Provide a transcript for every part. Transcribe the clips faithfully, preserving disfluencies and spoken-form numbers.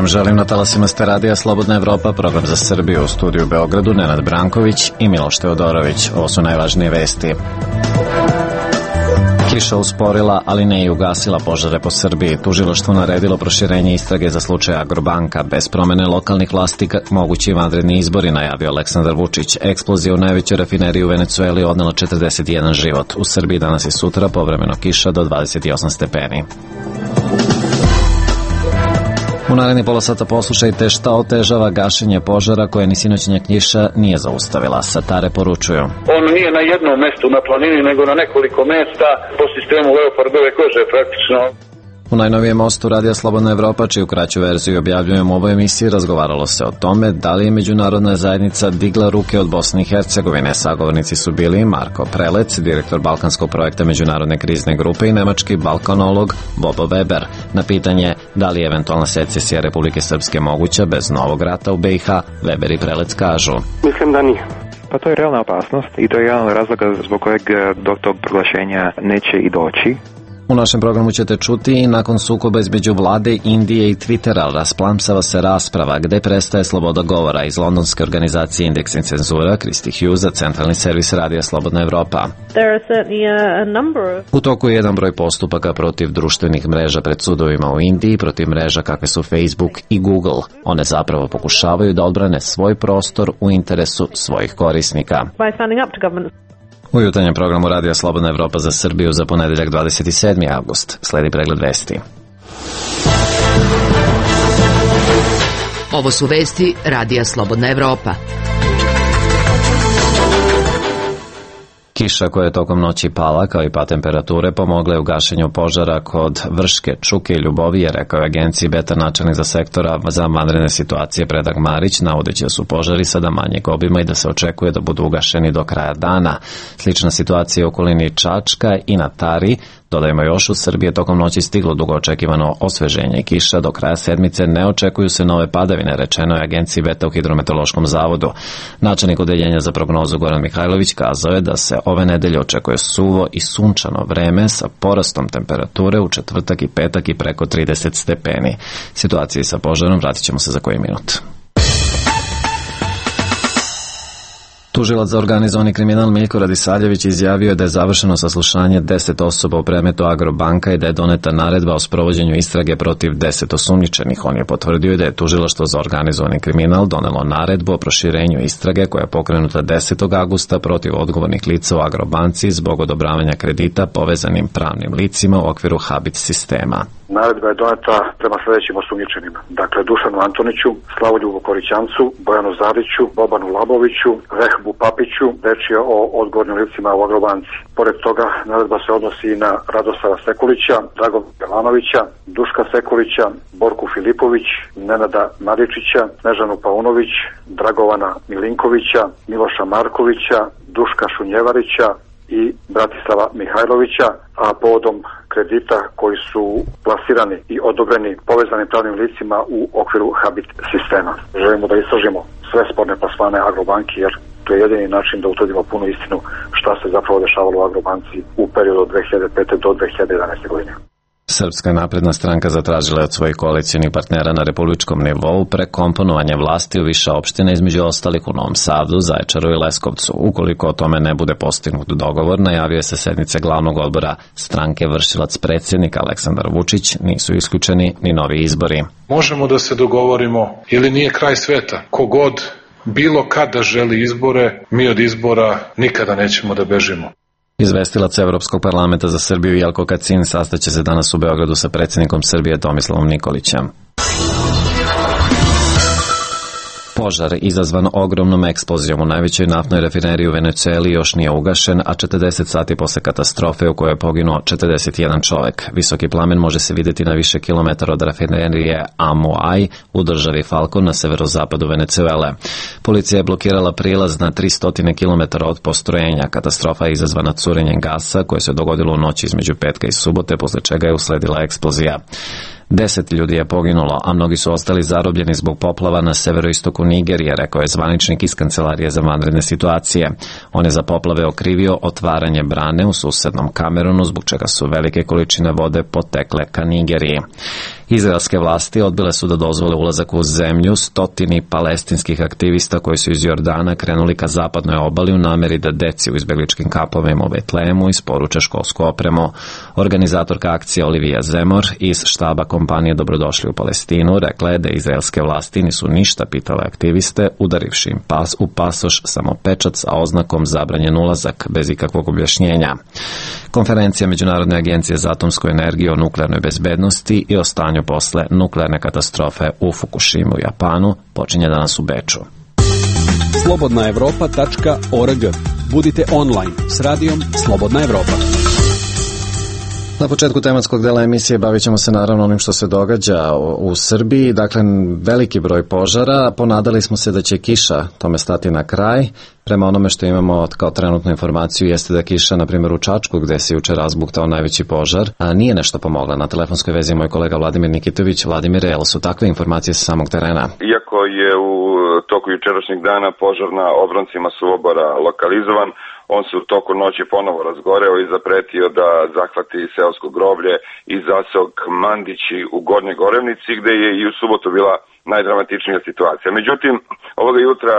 želim na talasima ste radija Slobodna Evropa, program za Srbiju, u studiju u Beogradu Nenad Branković i Miloš Teodorović. Ovo su najvažnije vesti. Kiša usporila, ali ne i ugasila požare po Srbiji. Tužilaštvo naredilo proširenje istrage za slučaj Agrobanka. Bez promene lokalnih vlasti mogući vanredni izbori, najavio Aleksandar Vučić. Eksplozija u najvećoj rafineriji u Venecueli odnela četrdeset jedan život. U Srbiji danas i sutra povremeno kiša do dvadeset osam stepeni. U naredni pola sata poslušajte šta otežava gašenje požara koje ni sinoćnja kiša nije zaustavila. Satare poručuju. On nije na jednom mestu na planini, nego na nekoliko mesta po sistemu leopardove kože praktično. U najnovijem mostu Radija Slobodna Evropa, čiju kraću verziju objavljujemo u ovoj emisiji, razgovaralo se o tome da li je međunarodna zajednica digla ruke od Bosne i Hercegovine. Sagovornici su bili Marko Prelec, direktor Balkanskog projekta Međunarodne krizne grupe, i nemački balkanolog Bobo Weber. Na pitanje da li je eventualna secesija Republike Srpske moguća bez novog rata u B i H, Weber i Prelec kažu. Mislim da nije. Pa to je realna opasnost i to je jedan od razloga zbog kojeg do tog proglašenja neće i doći. U našem programu ćete čuti, nakon sukoba između vlade Indije i Twittera rasplamsava se rasprava gde prestaje sloboda govora. Iz londonske organizacije Indeks i cenzura, Kristi Hughes za centralni servis Radija Slobodna Evropa. U toku je jedan broj postupaka protiv društvenih mreža pred sudovima u Indiji, protiv mreža kakve su Facebook i Google. One zapravo pokušavaju da odbrane svoj prostor u interesu svojih korisnika. U jutarnjem programu Radija Slobodna Evropa za Srbiju za ponedeljak dvadeset sedmi avgust sledi pregled vesti. Ovo su vesti Radija Slobodna Evropa. Kiša koja je tokom noći pala, kao i pad temperature, pomogla je u gašenju požara kod Vrške, Čuke i Ljubovije, rekao je agenciji Beta načelnik za sektora za vanredne situacije Predrag Marić, navodeći da su požari sada manjeg obima i da se očekuje da budu ugašeni do kraja dana. Slična situacija u okolini Čačka i na Tari. Dodajmo još, u Srbije tokom noći stiglo dugo očekivano osveženje i kiša. Do kraja sedmice ne očekuju se nove padavine, rečeno je agenciji Beta u Hidrometeorološkom zavodu. Načelnik odeljenja za prognozu Goran Mihajlović kazao je da se ove nedelje očekuje suvo i sunčano vreme sa porastom temperature u četvrtak i petak i preko trideset stepeni. Situaciji sa požarom vratit ćemo se za koji minut. Tužilac za organizovani kriminal Miljko Radisaljević izjavio je da je završeno saslušanje deset osoba u predmetu Agrobanka i da je doneta naredba o sprovođenju istrage protiv deset osumnjičenih. On je potvrdio da je Tužilaštvo za organizovani kriminal donelo naredbu o proširenju istrage koja je pokrenuta desetog avgusta protiv odgovornih lica u Agrobanci zbog odobravanja kredita povezanim pravnim licima u okviru Habit sistema. Naredba je doneta prema sljedećim osumnjičenima. Dakle, Dušanu Antoniću, Slavoljubu Korićancu, Bojanu Zariću, Bobanu Laboviću, Vehbu Papiću, reč je o odgovornim licima u Agrobanci. Pored toga, naredba se odnosi i na Radosava Sekulića, Dragovana Belanovića, Duška Sekulića, Borku Filipović, Nenada Maričića, Snežanu Paunović, Dragovana Milinkovića, Miloša Markovića, Duška Šunjevarića i Bratislava Mihajlovića, a povodom kredita koji su plasirani i odobreni povezanim pravnim licima u okviru Habit sistema. Želimo da istražimo sve sporne plasmane Agrobanki, jer to je jedini način da utvrdimo punu istinu šta se zapravo dešavalo u Agrobanci u periodu od dve hiljade pete do dve hiljade jedanaeste godine. Srpska napredna stranka zatražila je od svojih koalicijnih partnera na republičkom nivou prekomponovanje vlasti u više opština, između ostalih u Novom Sadu, Zaječaru i Leskovcu. Ukoliko o tome ne bude postignut dogovor, najavio se sednice glavnog odbora stranke vršilac predsjednika Aleksandar Vučić, nisu isključeni ni novi izbori. Možemo da se dogovorimo ili nije kraj sveta. Kogod bilo kada želi izbore, mi od izbora nikada nećemo da bežimo. Izvestilac Evropskog parlamenta za Srbiju Jelko Kacin sastaće se danas u Beogradu sa predsjednikom Srbije Tomislavom Nikolićem. Požar izazvan ogromnom eksplozijom u najvećoj naftnoj rafineriji u Venecueli još nije ugašen, a četrdeset sati posle katastrofe u kojoj je poginuo četrdeset jedan čovek. Visoki plamen može se vidjeti na više kilometara od rafinerije Amoaj u državi Falcon na severozapadu Venecuele. Policija je blokirala prilaz na tristo kilometara od postrojenja. Katastrofa je izazvana curenjem gasa koje se dogodilo u noći između petka i subote, posle čega je usledila eksplozija. Deset ljudi je poginulo, a mnogi su ostali zarobljeni zbog poplava na severoistoku Nigerije, rekao je zvaničnik iz Kancelarije za vanredne situacije. On je za poplave okrivio otvaranje brane u susednom Kamerunu, zbog čega su velike količine vode potekle ka Nigeriji. Izraelske vlasti odbile su da dozvole ulazak u zemlju stotini palestinskih aktivista koji su iz Jordana krenuli ka zapadnoj obali u nameri da deci u izbegličkim kampovima u Betlehemu isporuče školsku opremu. Organizatorka akcije Olivija Zemor iz štaba kompanije Dobrodošli u Palestinu rekla je da izraelske vlasti nisu ništa pitale aktiviste, udarivši im pas u pasoš samo pečat sa oznakom zabranjen ulazak bez ikakvog objašnjenja. Konferencija Međunarodne agencije za atomsku energiju o nuklearnoj bezbednosti i o stanju posle nuklearne katastrofe u Fukushimu u Japanu počinje danas u Beču. slobodna evropa tačka org. Budite online s radijom Slobodna Evropa. Na početku tematskog dela emisije bavit ćemo se naravno onim što se događa u Srbiji. Dakle, veliki broj požara. Ponadali smo se da će kiša tome stati na kraj. Prema onome što imamo kao trenutnu informaciju jeste da kiša, na primjer u Čačku, gde se juče razbuktao najveći požar, a nije nešto pomogla. Na telefonskoj vezi je moj kolega Vladimir Nikitović. Vladimir, jel su takve informacije sa samog terena? Iako je u toku jučerašnjeg dana požar na obroncima Suvobora lokalizovan, on se u toku noći ponovo razgoreo i zapretio da zahvati seosko groblje i zaseok Mandići u Gornjoj Gorevnici, gde je i u subotu bila najdramatičnija situacija. Međutim, ovoga jutra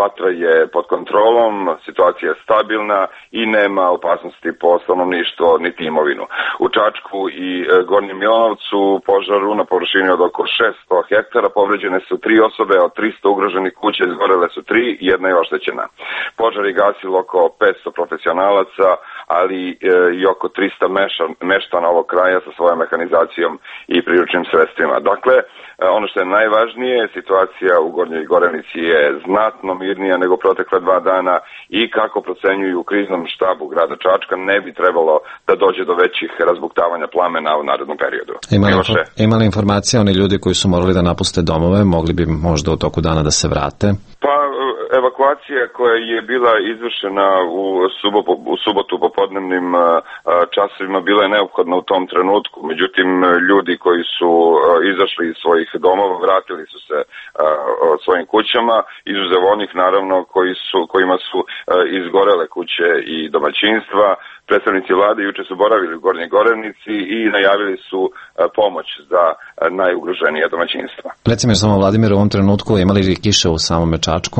vatra je pod kontrolom, situacija je stabilna i nema opasnosti po stanovništvo niti imovinu. U Čačku i Gornjem Milanovcu požaru na površini od oko šesto hektara povređene su tri osobe, od trista ugroženih kuća izgorele su tri, jedna je oštećena. Požar je gasilo oko petsto profesionalaca, ali i oko trista meštana ovog kraja sa svojom mehanizacijom i priručnim sredstvima. Dakle, ono što je najvažnije, situacija u Gornjoj Gorevnici je znatno mirnija nego protekla dva dana i kako procenjuju u kriznom štabu grada Čačka, ne bi trebalo da dođe do većih razbuktavanja plamena u narednom periodu. Ima li informacija oni ljudi koji su morali da napuste domove, mogli bi možda u toku dana da se vrate? Pa, evakuacija koja je bila izvršena u subotu, u subotu popodnevnim časovima bila je neophodna u tom trenutku. Međutim, ljudi koji su izašli iz svojih domova vratili su se svojim kućama, izuzev onih naravno koji su, kojima su izgorele kuće i domaćinstva. Predstavnici vlade juče su boravili u Gornjoj Gorevnici i najavili su pomoć za najugroženije domaćinstva. Recimo samo, Vladimir, u ovom trenutku imali li kiše u samome Čačku?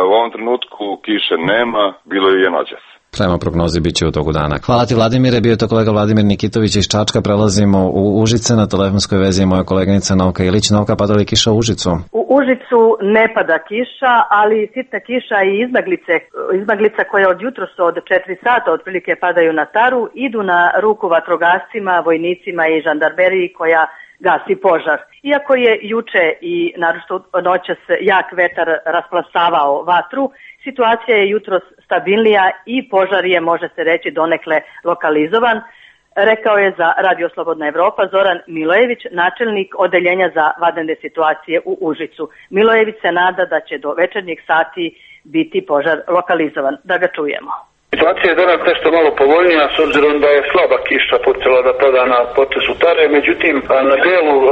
U ovom trenutku kiše nema, bilo je noćas. Prema prognozi bit će u toku dana. Hvala ti, Vladimire, bio je to kolega Vladimir Nikitović iz Čačka. Prelazimo u Užice, na telefonskoj vezi je moja koleginica Novka Ilić. Novka, pada li kiša u Užicu? U Užicu ne pada kiša, ali sitna kiša i izmaglice, izmaglica koje od jutros od četiri sata otprilike padaju na Taru, idu na ruku vatrogascima, vojnicima i žandarmeriji koja gasi požar. Iako je juče i naročito noćas jak vetar rasplasavao vatru, situacija je jutros stabilnija i požar je, može se reći, donekle lokalizovan, rekao je za Radio Slobodna Evropa Zoran Milojević, načelnik odeljenja za vanredne situacije u Užicu. Milojević se nada da će do večernjih sati biti požar lokalizovan. Da ga čujemo. Situacija je danas nešto malo povoljnija s obzirom da je slaba kiša počela da pada na potesu Tare, međutim na delu e,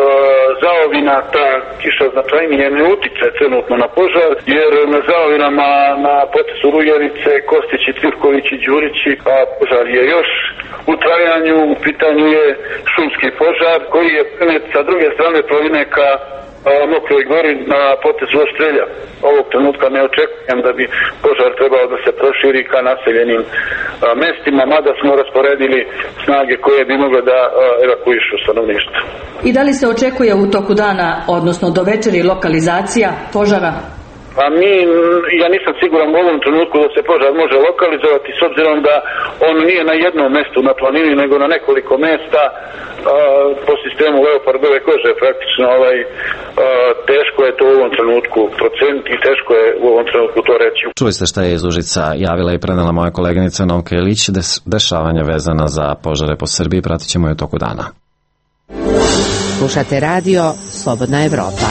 zaovina ta kiša značajnije ne utiče trenutno na požar, jer na zaovinama na potesu Rujevice, Kostići, Trivkovići, Đurići, a požar je još u trajanju. U pitanju je šumski požar koji je prenet sa druge strane planine ka Mokroj Gori na potezu Oštrelja. Ovog trenutka ne očekujem da bi požar trebao da se proširi ka naseljenim a, mestima, mada smo rasporedili snage koje bi mogle da a, evakuišu stanovništvo. I da li se očekuje u toku dana, odnosno do večeri, lokalizacija požara? Pa mi, ja nisam siguran u ovom trenutku da se požar može lokalizovati, s obzirom da on nije na jednom mestu na planini, nego na nekoliko mesta a, po sistemu leopardove kože. Praktično ovaj, a, teško je to u ovom trenutku proceniti i teško je u ovom trenutku to reći. Čuli ste šta je iz Užica javila i prenela moja koleginica Novka Ilić, des, dešavanja vezana za požare po Srbiji, pratit ćemo je u toku dana. Slušate radio Slobodna Evropa.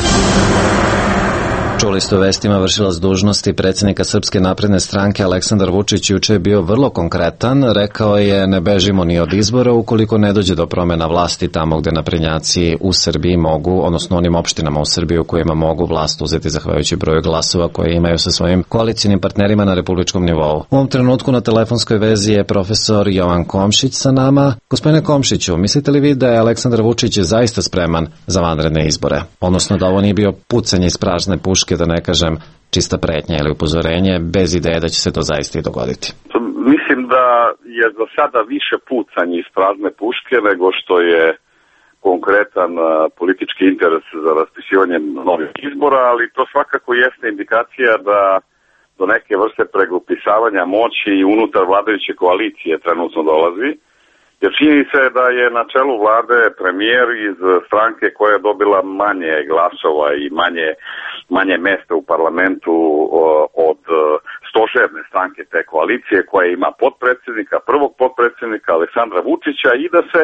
Čuli ste u vestima vršilac dužnosti predsjednika Srpske napredne stranke Aleksandar Vučić juče je bio vrlo konkretan. Rekao je ne bežimo ni od izbora ukoliko ne dođe do promjena vlasti tamo gde naprednjaci u Srbiji mogu, odnosno onim opštinama u Srbiji u kojima mogu vlast uzeti zahvaljujući broju glasova koje imaju sa svojim koalicijnim partnerima na republičkom nivou. U ovom trenutku na telefonskoj vezi je profesor Jovan Komšić sa nama. Gospodine Komšiću, mislite li vi da je Aleksandar Vučić zaista spreman za vanredne izbore? Odnosno da ovo nije bio pucanje iz prazne puške, da ne kažem čista pretnja ili upozorenje, bez ideje da će se to zaista i dogoditi? Mislim da je za sada više pucanje iz prazne puške nego što je konkretan politički interes za raspisivanje novih izbora, ali to svakako jeste indikacija da do neke vrste pregrupisavanja moći i unutar vladajuće koalicije trenutno dolazi. Jer čini se da je na čelu vlade premijer iz stranke koja je dobila manje glasova i manje, manje mesta u parlamentu od stožerne stranke te koalicije koja ima potpredsjednika, prvog potpredsjednika Aleksandra Vučića i da se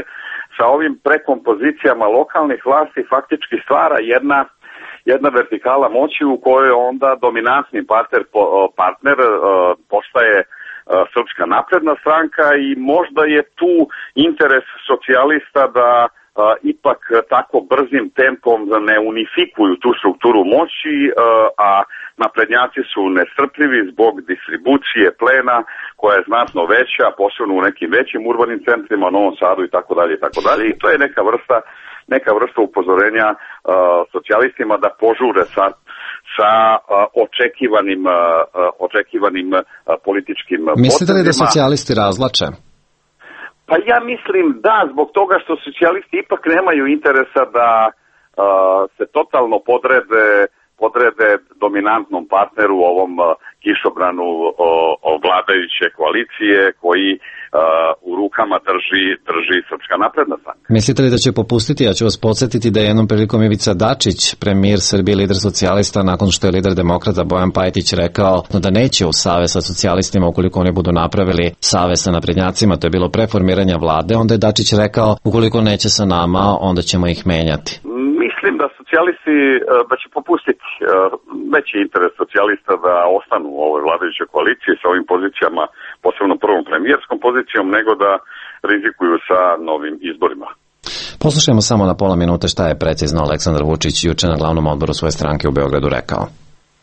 sa ovim prekompozicijama lokalnih vlasti faktički stvara jedna jedna vertikala moći u kojoj onda dominantni partner, partner postaje Srpska napredna stranka i možda je tu interes socijalista da a, ipak tako brzim tempom ne unifikuju tu strukturu moći, a, a naprednjaci su nestrpljivi zbog distribucije plena koja je znatno veća, posebno u nekim većim urbanim centrima, Novom Sadu i tako dalje i tako dalje. I to je neka vrsta neka vrsta upozorenja a, socijalistima da požure sa sa uh, očekivanim, uh, očekivanim uh, političkim potezima. Mislite li da socijalisti razvlače? Pa ja mislim da, zbog toga što socijalisti ipak nemaju interesa da uh, se totalno podrede, podrede dominantnom partneru u ovom uh, kišobranu uh, vladajuće koalicije koji uh, u rukama drži, drži Srpska napredna stranka. Mislite li da će popustiti? Ja ću vas podsjetiti da je jednom prilikom Ivica Dačić, premijer Srbije, lider socijalista, nakon što je lider demokrata Bojan Pajtić rekao da neće u savez sa socijalistima ukoliko oni budu napravili savez sa naprednjacima, to je bilo pre formiranja vlade, onda je Dačić rekao ukoliko neće sa nama, onda ćemo ih menjati. Mislim da socijalisti, da će popustiti veći interes socijalista da ostanu u ovoj vladajućoj koaliciji sa ovim pozicijama, posebno prvom premijerskom pozicijom, nego da rizikuju sa novim izborima. Poslušajmo samo na pola minute šta je precizno Aleksandar Vučić juče na glavnom odboru svoje stranke u Beogradu rekao.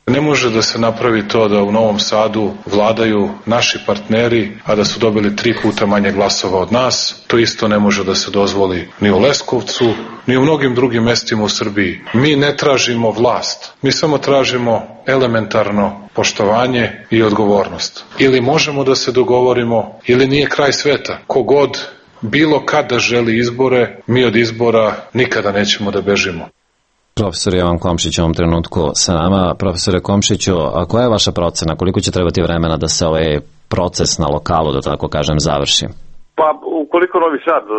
Ne može da se napravi to da u Novom Sadu vladaju naši partneri, a da su dobili tri puta manje glasova od nas. To isto ne može da se dozvoli ni u Leskovcu, ni u mnogim drugim mestima u Srbiji. Mi ne tražimo vlast, mi samo tražimo elementarno poštovanje i odgovornost. Ili možemo da se dogovorimo, ili nije kraj sveta. Kogod bilo kada želi izbore, mi od izbora nikada nećemo da bežimo. Profesor Jovan Komšić u ovom trenutku sa nama. Profesore Komšiću, a koja je vaša procena? Koliko će trebati vremena da se ovaj proces na lokalu, da tako kažem, završi? Pa, ukoliko Novi Sad uh,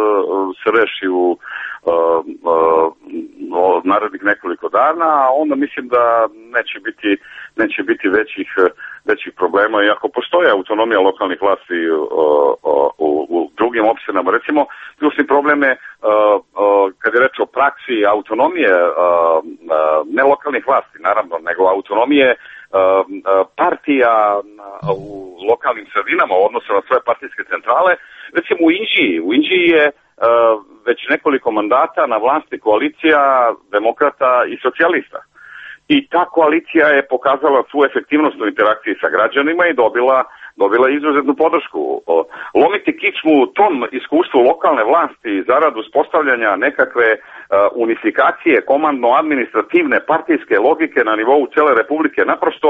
se reši u uh, uh, narednih nekoliko dana, onda mislim da neće biti, neće biti većih, većih problema. I ako postoje autonomija lokalnih vlasti uh, uh, u, u drugim opštinama, recimo, ključni problem je uh, uh, kad je reč o praksi autonomije uh, uh, ne lokalnih vlasti, naravno, nego autonomije uh, uh, partija uh, u lokalnim sredinama u odnosu na svoje partijske centrale. Recimo u Inđiji, u Inđiji je uh, već nekoliko mandata na vlasti koalicija demokrata i socijalista. I ta koalicija je pokazala svu efektivnost u interakciji sa građanima i dobila, dobila izuzetnu podršku. Lomiti kičmu tom iskustvu lokalne vlasti zarad uspostavljanja nekakve uh, unifikacije komandno-administrativne partijske logike na nivou cele Republike naprosto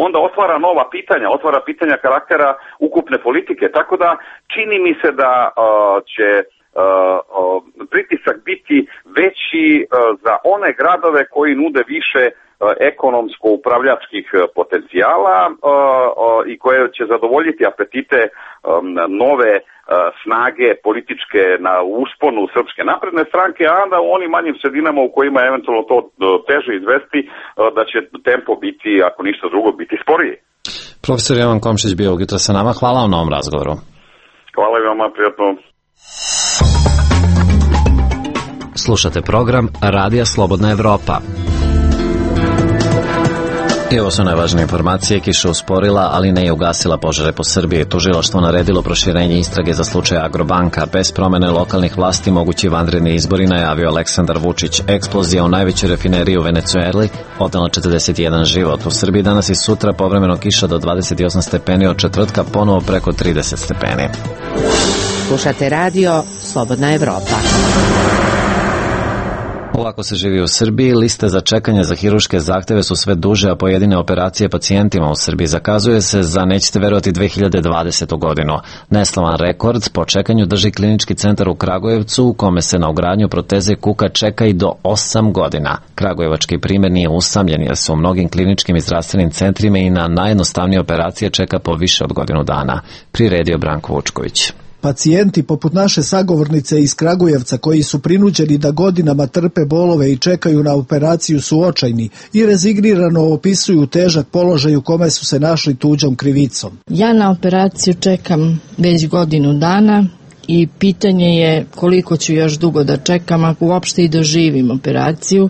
onda otvara nova pitanja, otvara pitanja karaktera ukupne politike. Tako da čini mi se da uh, će Uh, uh, pritisak biti veći uh, za one gradove koji nude više uh, ekonomsko-upravljačkih uh, potencijala uh, uh, i koje će zadovoljiti apetite um, nove uh, snage političke na usponu Srpske napredne stranke, a onda u onim manjim sredinama u kojima je eventualno to uh, teže izvesti, uh, da će tempo biti, ako ništa drugo, biti sporiji. Profesor Jovan Komšić bio ujutro sa nama. Hvala vam na ovom razgovoru. Hvala i vama, prijatno. Slušate program Radija Slobodna Evropa. I ovo su najvažnije informacije. Kiša usporila, ali ne i ugasila požare po Srbiji. Tužilaštvo naredilo proširenje istrage za slučaj Agrobanka. Bez promene lokalnih vlasti mogući vanredni izbori, najavio Aleksandar Vučić. Eksplozija u najvećoj rafineriji u Venecueli odnela četrdeset jedan život. U Srbiji danas i sutra povremeno kiša do dvadeset osam stepeni, od četvrtka ponovo preko trideset stepeni. Slušate radio Slobodna Evropa. Ovako se živi u Srbiji. Liste za čekanje za hirurške zahteve su sve duže, a pojedine operacije pacijentima u Srbiji zakazuje se za, nećete verovati, dve hiljade dvadesetu godinu. Neslavan rekord po čekanju drži Klinički centar u Kragujevcu, u kome se na ugradnju proteze kuka čeka i do osam godina. Kragujevački primjer nije usamljen, jer se u mnogim kliničkim i zdravstvenim centrima i na najjednostavnije operacije čeka po više od godinu dana. Priredio Branko Vučković. Pacijenti poput naše sagovornice iz Kragujevca, koji su prinuđeni da godinama trpe bolove i čekaju na operaciju, su očajni i rezignirano opisuju težak položaj u kome su se našli tuđom krivicom. Ja na operaciju čekam već godinu dana i pitanje je koliko ću još dugo da čekam, ako uopšte i doživim operaciju.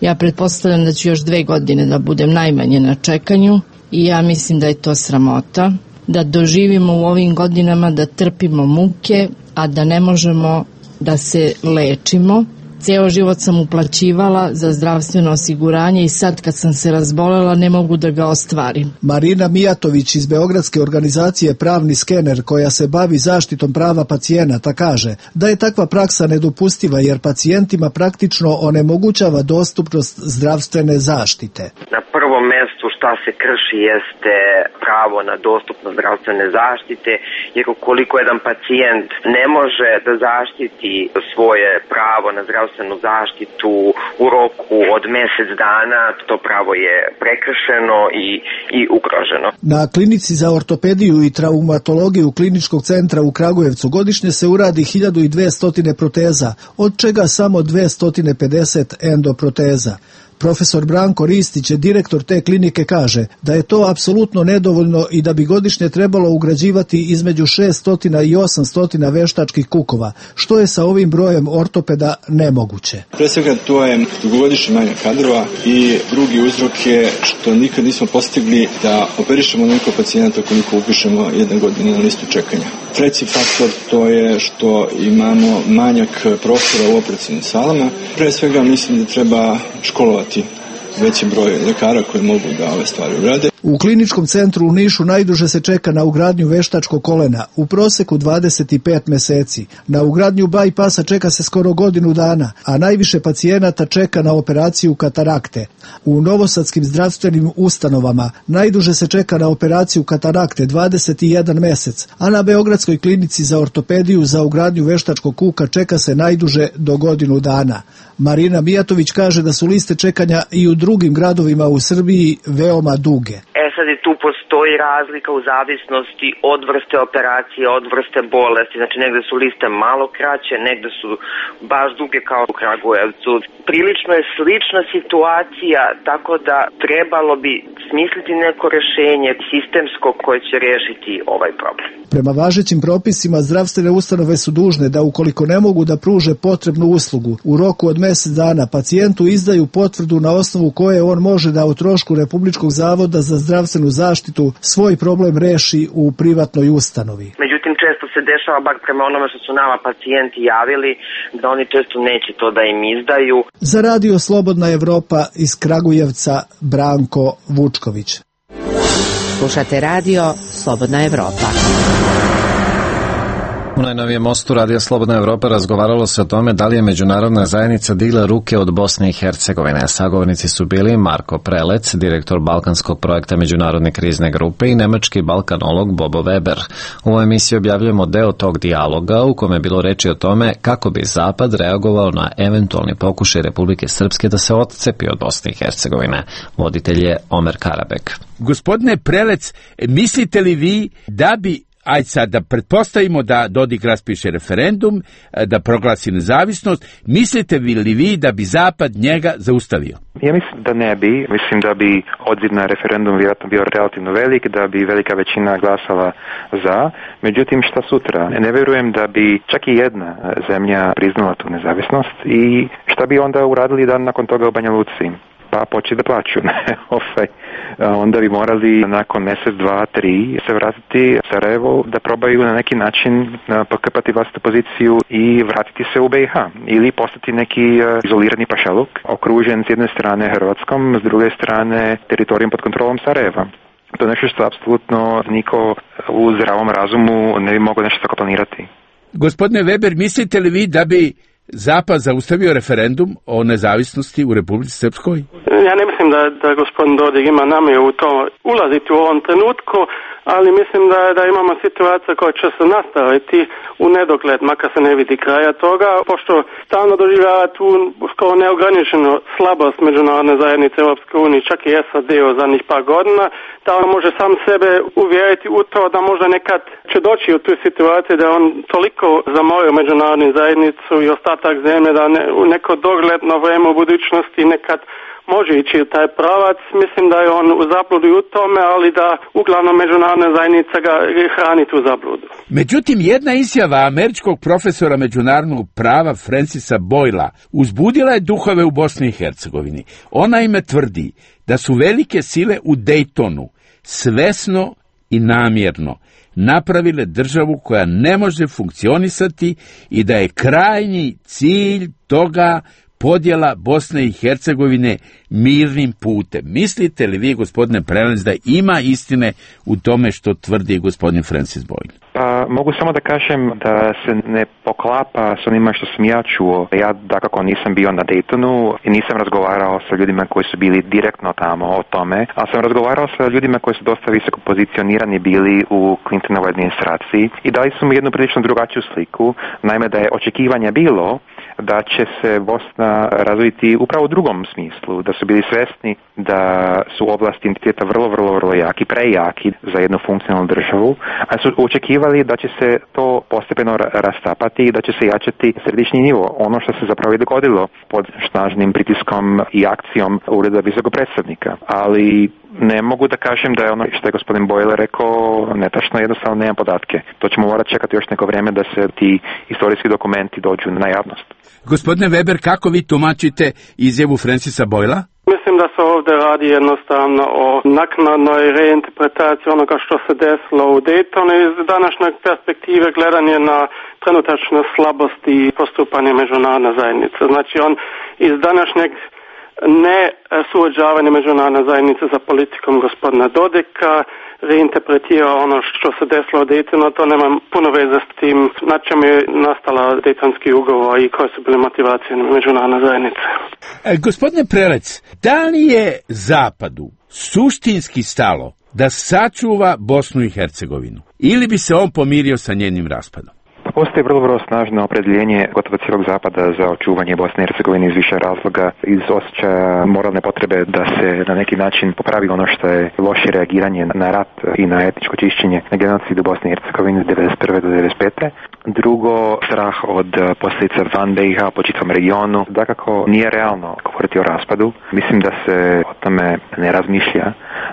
Ja pretpostavljam da ću još dve godine da budem najmanje na čekanju i ja mislim da je to sramota, da doživimo u ovim godinama da trpimo muke, a da ne možemo da se lečimo. Ceo život sam uplaćivala za zdravstveno osiguranje i sad kad sam se razbolela ne mogu da ga ostvarim. Marina Mijatović iz Beogradske organizacije Pravni skener, koja se bavi zaštitom prava pacijenata, kaže da je takva praksa nedopustiva jer pacijentima praktično onemogućava dostupnost zdravstvene zaštite. Na prvom mestu šta se krši jeste pravo na dostupnost zdravstvene zaštite, jer ukoliko jedan pacijent ne može da zaštiti svoje pravo na zdravstvenu zaštitu u roku od mesec dana, to pravo je prekršeno i, i ugroženo. Na klinici za ortopediju i traumatologiju Kliničkog centra u Kragujevcu godišnje se uradi hiljadu dvesta proteza, od čega samo dvesta pedeset endoproteza. Profesor Branko Ristić, direktor te klinike, kaže da je to apsolutno nedovoljno i da bi godišnje trebalo ugrađivati između šessto i osamsto veštačkih kukova, što je sa ovim brojem ortopeda nemoguće. Pre svega to je dugogodišnji manjak kadrova i drugi uzrok je što nikad nismo postigli da operišemo onoliko pacijenata koliko upišemo jedne godine na listu čekanja. Treći faktor to je što imamo manjak prostora u operacionim salama. Pre svega mislim da treba školovati veći broj lekara koji mogu da ove stvari urade. U Kliničkom centru u Nišu najduže se čeka na ugradnju veštačkog kolena, u proseku dvadeset pet meseci. Na ugradnju bajpasa čeka se skoro godinu dana, a najviše pacijenata čeka na operaciju katarakte. U novosadskim zdravstvenim ustanovama najduže se čeka na operaciju katarakte dvadeset jedan mesec, a na Beogradskoj klinici za ortopediju za ugradnju veštačkog kuka čeka se najduže do godinu dana. Marina Mijatović kaže da su liste čekanja i u drugim gradovima u Srbiji veoma duge. E sad i tu postoji razlika u zavisnosti od vrste operacije, od vrste bolesti. Znači negde su liste malo kraće, negde su baš duge kao u Kragujevcu. Prilično je slična situacija, tako da trebalo bi smisliti neko rešenje sistemsko koje će rešiti ovaj problem. Prema važećim propisima zdravstvene ustanove su dužne da ukoliko ne mogu da pruže potrebnu uslugu u roku od mesec dana pacijentu izdaju potvrdu na osnovu koje on može da o trošku Republičkog zavoda za zdravstvenu zaštitu svoj problem reši u privatnoj ustanovi. Međutim, često se dešava, bar prema onome što su nama pacijenti javili, da oni često neće to da im izdaju. Za radio Slobodna Evropa iz Kragujevca, Branko Vučković. Slušate radio Slobodna Evropa. U najnovijem mostu Radija Slobodna Evropa razgovaralo se o tome da li je međunarodna zajednica digla ruke od Bosne i Hercegovine. Sagovornici su bili Marko Prelec, direktor balkanskog projekta Međunarodne krizne grupe, i nemački balkanolog Bobo Weber. U ovoj emisiji objavljujemo deo tog dijaloga u kome je bilo reči o tome kako bi Zapad reagovao na eventualni pokušaj Republike Srpske da se odcepi od Bosne i Hercegovine. Voditelj je Omer Karabek. Gospodine Prelec, mislite li vi da bi ajde sad da pretpostavimo da Dodik raspiše referendum, da proglasi nezavisnost, mislite li vi da bi Zapad njega zaustavio? Ja mislim da ne bi. Mislim da bi odziv na referendum vjerojatno bio relativno velik, da bi velika većina glasala za. Međutim, šta sutra? Ne vjerujem da bi čak i jedna zemlja priznala tu nezavisnost i šta bi onda uradili dan nakon toga u Banja Luci? pa početi da plaću. ovaj, onda bi morali nakon mjesec, dva, tri se vratiti u Sarajevo da probaju na neki način pokrpati vlastitu poziciju i vratiti se u B i H ili postati neki izolirani pašaluk okružen s jedne strane Hrvatskom, s druge strane teritorijom pod kontrolom Sarajeva. To je nešto što apsolutno niko u zdravom razumu ne bi mogao nešto tako planirati. Gospodine Weber, mislite li vi da bi Zapad zaustavio referendum o nezavisnosti u Republici Srpskoj? Ja ne mislim da, da gospodin Dodik ima namjeru u to ulaziti u ovom trenutku, ali mislim da, da imamo situaciju koja će se nastaviti u nedogled, makar se ne vidi kraja toga, pošto stalno doživljava tu skoro neograničenu slabost međunarodne zajednice Europske unije, čak i S A D u zadnjih par godina, da on može sam sebe uvjeriti u to da možda nekad će doći u tu situaciju da on toliko zamorio međunarodnu zajednicu i ostatak zemlje da ne, u neko dogledno vrijeme u budućnosti nekad može ići u taj pravac. Mislim da je on u zabludi u tome, ali da uglavnom međunarodna zajednica ga hrani tu zabludu. Međutim, jedna izjava američkog profesora međunarodnog prava Francisa Boyla uzbudila je duhove u Bosni i Hercegovini. Ona ime tvrdi da su velike sile u Daytonu svesno i namjerno napravile državu koja ne može funkcionisati i da je krajnji cilj toga podjela Bosne i Hercegovine mirnim putem. Mislite li vi, gospodine Prelec, da ima istine u tome što tvrdi gospodin Francis Boyle? Pa mogu samo da kažem da se ne poklapa s onima što sam ja čuo. Ja dakako nisam bio na Daytonu i nisam razgovarao sa ljudima koji su bili direktno tamo o tome, ali sam razgovarao sa ljudima koji su dosta visoko pozicionirani bili u Clintonovoj administraciji i dali su mi jednu prilično drugačiju sliku. Naime, da je očekivanje bilo da će se Bosna razviti upravo u drugom smislu, da su bili svjesni da su oblasti entiteta vrlo, vrlo, vrlo jaki, prejaki za jednu funkcionalnu državu, a su očekivali da će se to postepeno rastapati i da će se jačati središnji nivo, ono što se zapravo i dogodilo pod snažnim pritiskom i akcijom Ureda visokog predstavnika. Ali ne mogu da kažem da je ono što je gospodin Boyle rekao netačno, jednostavno nemam podatke. To ćemo morati čekati još neko vrijeme da se ti istorijski dokumenti dođu na javnost. Gospodine Weber, kako vi tumačite izjavu Francisa Boyla? Mislim da se ovdje radi jednostavno o naknadnoj reinterpretaciji onoga što se desilo u Daytonu iz današnje perspektive gledanje na trenutačnu slabost i postupanje međunarodne zajednice. Znači on iz današnjeg ne suođavanje međunarodne zajednice za politikom gospodina Dodika reinterpretira ono što se desilo u Daytonu, to nema puno veze s tim na čemu je nastala Daytonski ugovor i koje su bile motivacije međunarodne zajednice. E, gospodine Prelec, da li je Zapadu suštinski stalo da sačuva Bosnu i Hercegovinu ili bi se on pomirio sa njenim raspadom? Postoji vrlo, vrlo snažno opredjeljenje gotovo cijelog Zapada za očuvanje Bosne i Hercegovine iz više razloga, iz osjećaja moralne potrebe da se na neki način popravi ono što je loše reagiranje na rat i na etničko čišćenje na genocidu Bosne i Hercegovine od devedeset prve do devedeset pete. Drugo, strah od posljedica van B i H po čitavom regionu. Dakako, nije realno govoriti o raspadu. Mislim da se o tome ne razmišlja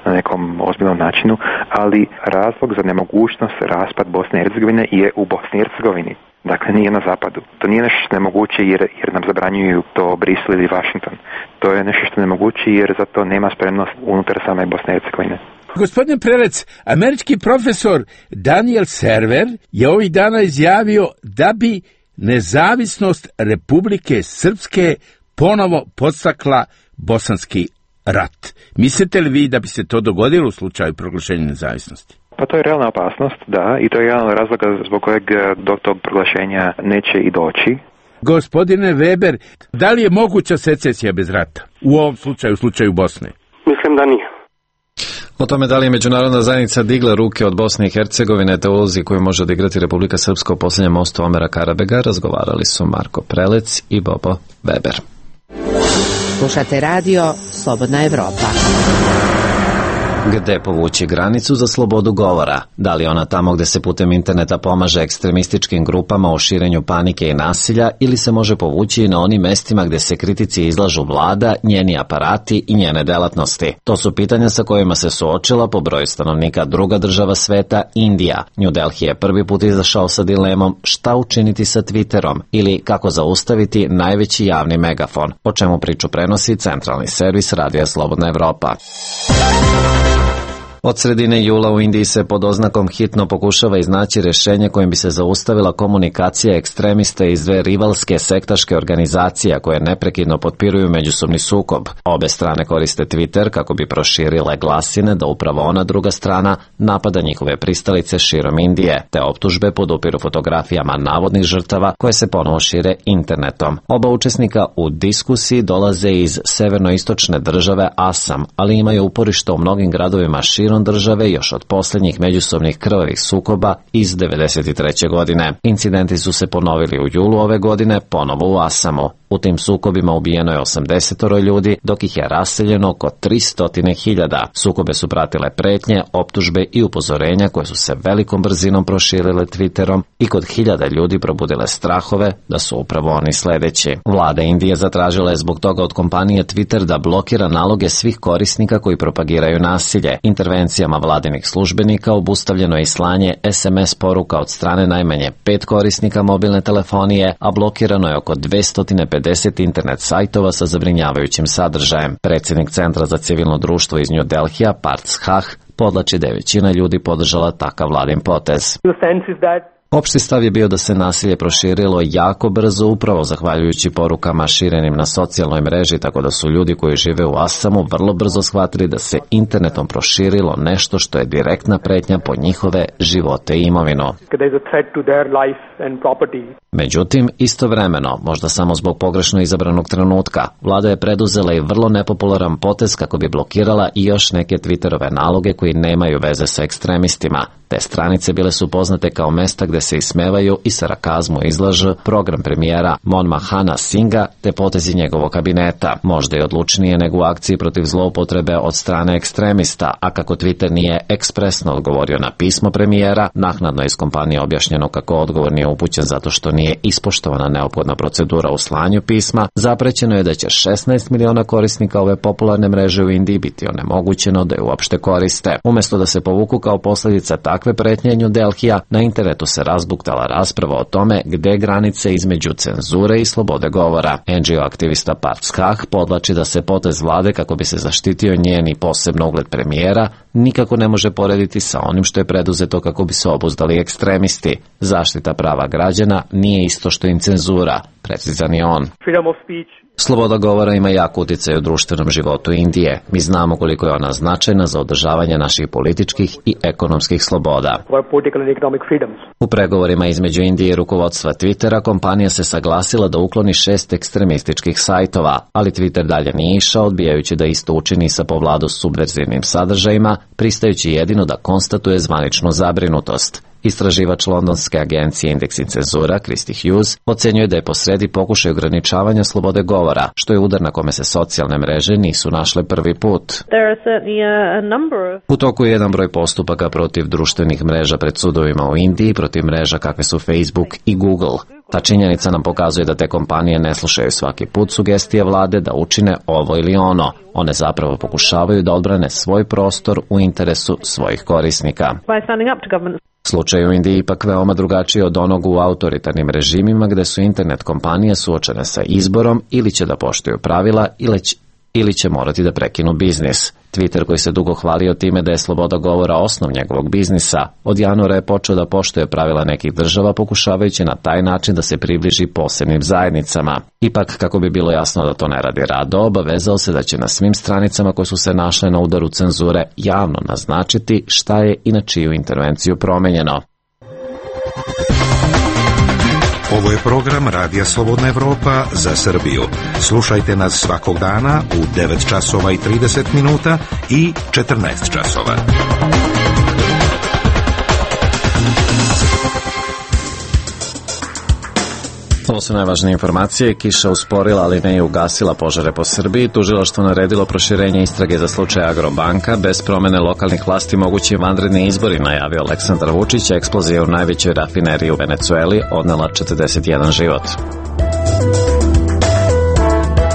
na nekom ozbiljnom načinu, ali razlog za nemogućnost raspad Bosne i Hercegovine je u Bosni i Hercegovini. Dakle, nije na zapadu. To nije nešto što je nemoguće jer, jer nam zabranjuju to Brisel ili Washington. To je nešto što je nemoguće jer za to nema spremnost unutar same Bosne i Hercegovine. Gospodin Prelec, američki profesor Daniel Server je ovih dana izjavio da bi nezavisnost Republike Srpske ponovo podstakla bosanski rat. Mislite li vi da bi se to dogodilo u slučaju proglašenja nezavisnosti? Pa to je realna opasnost, da, i to je jedan od razloga zbog kojeg do tog proglašenja neće i doći. Gospodine Weber, da li je moguća secesija bez rata u ovom slučaju, u slučaju Bosne? Mislim da nije. O tome da li je međunarodna zajednica digla ruke od Bosne i Hercegovine te ulozi koju može odigrati Republika Srpska u posljednjem mostu Omera Karabega razgovarali su Marko Prelec i Bobo Weber. Slušate radio Slobodna Evropa. Gde povući granicu za slobodu govora? Da li ona tamo gde se putem interneta pomaže ekstremističkim grupama u širenju panike i nasilja ili se može povući i na onim mestima gde se kritici izlažu vlada, njeni aparati i njene delatnosti? To su pitanja sa kojima se suočila po broju stanovnika druga država sveta, Indija. New Delhi je prvi put izašao sa dilemom šta učiniti sa Twitterom ili kako zaustaviti najveći javni megafon, o čemu priču prenosi centralni servis Radija Slobodna Evropa. Od sredine jula u Indiji se pod oznakom hitno pokušava iznaći rješenje kojim bi se zaustavila komunikacija ekstremista iz dve rivalske sektaške organizacije koje neprekidno potpiruju međusobni sukob. Obe strane koriste Twitter kako bi proširile glasine da upravo ona druga strana napada njihove pristalice širom Indije, te optužbe podupiru fotografijama navodnih žrtava koje se ponovo šire internetom. Oba učesnika u diskusiji dolaze iz severnoistočne države Asam, ali imaju uporište u mnogim gradovima širom države još od posljednjih međusobnih krvavih sukoba iz devedeset treće. godine. Incidenti su se ponovili u julu ove godine, ponovo u Asamu. U tim sukobima ubijeno je osamdeset ljudi, dok ih je raseljeno oko tristo hiljada. Sukobe su pratile pretnje, optužbe i upozorenja koje su se velikom brzinom proširile Twitterom i kod hiljada ljudi probudile strahove da su upravo oni sledeći. Vlada Indije zatražila je zbog toga od kompanije Twitter da blokira naloge svih korisnika koji propagiraju nasilje. Intervencijama vladinih službenika obustavljeno je i slanje es em es poruka od strane najmanje pet korisnika mobilne telefonije, a blokirano je oko dvesta pedeset internet sajtova sa zabrinjavajućim sadržajem. Predsjednik Centra za civilno društvo iz New Delhija, Parth Shah, podlači da je većina ljudi podržala takav vladin potez. Opšti stav je bio da se nasilje proširilo jako brzo upravo zahvaljujući porukama širenim na socijalnoj mreži, tako da su ljudi koji žive u Asamu vrlo brzo shvatili da se internetom proširilo nešto što je direktna pretnja po njihove živote i imovinu. Međutim, istovremeno, možda samo zbog pogrešno izabranog trenutka, vlada je preduzela i vrlo nepopularan potez kako bi blokirala i još neke Twitterove naloge koji nemaju veze sa ekstremistima. Te stranice bile su poznate kao mesta gde se ismevaju i sarakazmu izlaže program premijera Manmohana Singha te potezi njegovog kabineta. Možda je odlučnije nego u akciji protiv zloupotrebe od strane ekstremista, a kako Twitter nije ekspresno odgovorio na pismo premijera, naknadno je iz kompanije objašnjeno kako odgovor nije upućen zato što nije ispoštovana neophodna procedura u slanju pisma. Zaprećeno je da će šesnaest miliona korisnika ove popularne mreže u Indiji biti onemogućeno da je uopšte koriste. Umesto da se povuku kao posljedica takve pretnje New Delhija, na internetu se razbuktala rasprava o tome gde je granice između cenzure i slobode govora. en dži o aktivista Parth Shah podlači da se potez vlade kako bi se zaštitio njen i posebno ugled premijera nikako ne može porediti sa onim što je preduzeto kako bi se obuzdali ekstremisti. Zaštita prava građana nije isto što im cenzura, precizan je on. Sloboda govora ima jak uticaj u društvenom životu Indije. Mi znamo koliko je ona značajna za održavanje naših političkih i ekonomskih sloboda. U pregovorima između Indije i rukovodstva Twittera kompanija se saglasila da ukloni šest ekstremističkih sajtova, ali Twitter dalje nije išao, odbijajući da isto učini sa po vladu subverzivnim sadržajima, pristajući jedino da konstatuje zvaničnu zabrinutost. Istraživač londonske agencije Indeks i cenzura, Christy Hughes, ocenjuje da je posredi pokušaj ograničavanja slobode govora, što je udar na kome se socijalne mreže nisu našle prvi put. U toku je jedan broj postupaka protiv društvenih mreža pred sudovima u Indiji, protiv mreža kakve su Facebook i Google. Ta činjenica nam pokazuje da te kompanije ne slušaju svaki put sugestije vlade da učine ovo ili ono. One zapravo pokušavaju da odbrane svoj prostor u interesu svojih korisnika. Slučaj u Indiji ipak veoma drugačiji od onog u autoritarnim režimima gde su internet kompanije suočene sa izborom ili će da poštuju pravila ili će, ili će morati da prekinu biznis. Twitter, koji se dugo hvalio time da je sloboda govora osnov njegovog biznisa, od januara je počeo da poštuje pravila nekih država pokušavajući na taj način da se približi posebnim zajednicama. Ipak, kako bi bilo jasno da to ne radi rado, obavezao se da će na svim stranicama koje su se našle na udaru cenzure javno naznačiti šta je i na čiju intervenciju promenjeno. Ovo je program Radija Slobodna Evropa za Srbiju. Slušajte nas svakog dana u devet časova i trideset minuta i četrnaest časova. Ovo su najvažnije informacije. Kiša usporila, ali ne i ugasila požare po Srbiji. Tužilaštvo naredilo proširenje istrage za slučaj Agrobanka. Bez promene lokalnih vlasti mogući vanredni izbori, najavio Aleksandar Vučić. Eksplozija u najvećoj rafineriji u Venecueli odnela četrdeset jedan život.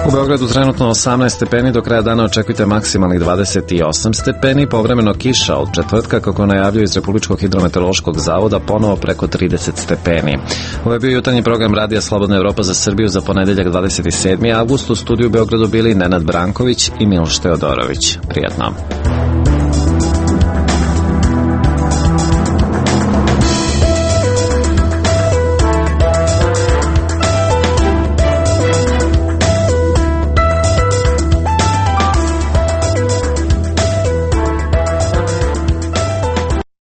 U Beogradu trenutno osamnaest stepeni, do kraja dana očekujte maksimalnih dvadeset osam stepeni, povremeno kiša od četvrtka, kako najavljaju iz Republičkog hidrometeorološkog zavoda, ponovo preko trideset stepeni. Ovo je bio jutarnji program Radija Slobodna Evropa za Srbiju za ponedeljak dvadeset sedmi avgust. U studiju u Beogradu bili Nenad Branković i Miloš Teodorović. Prijatno.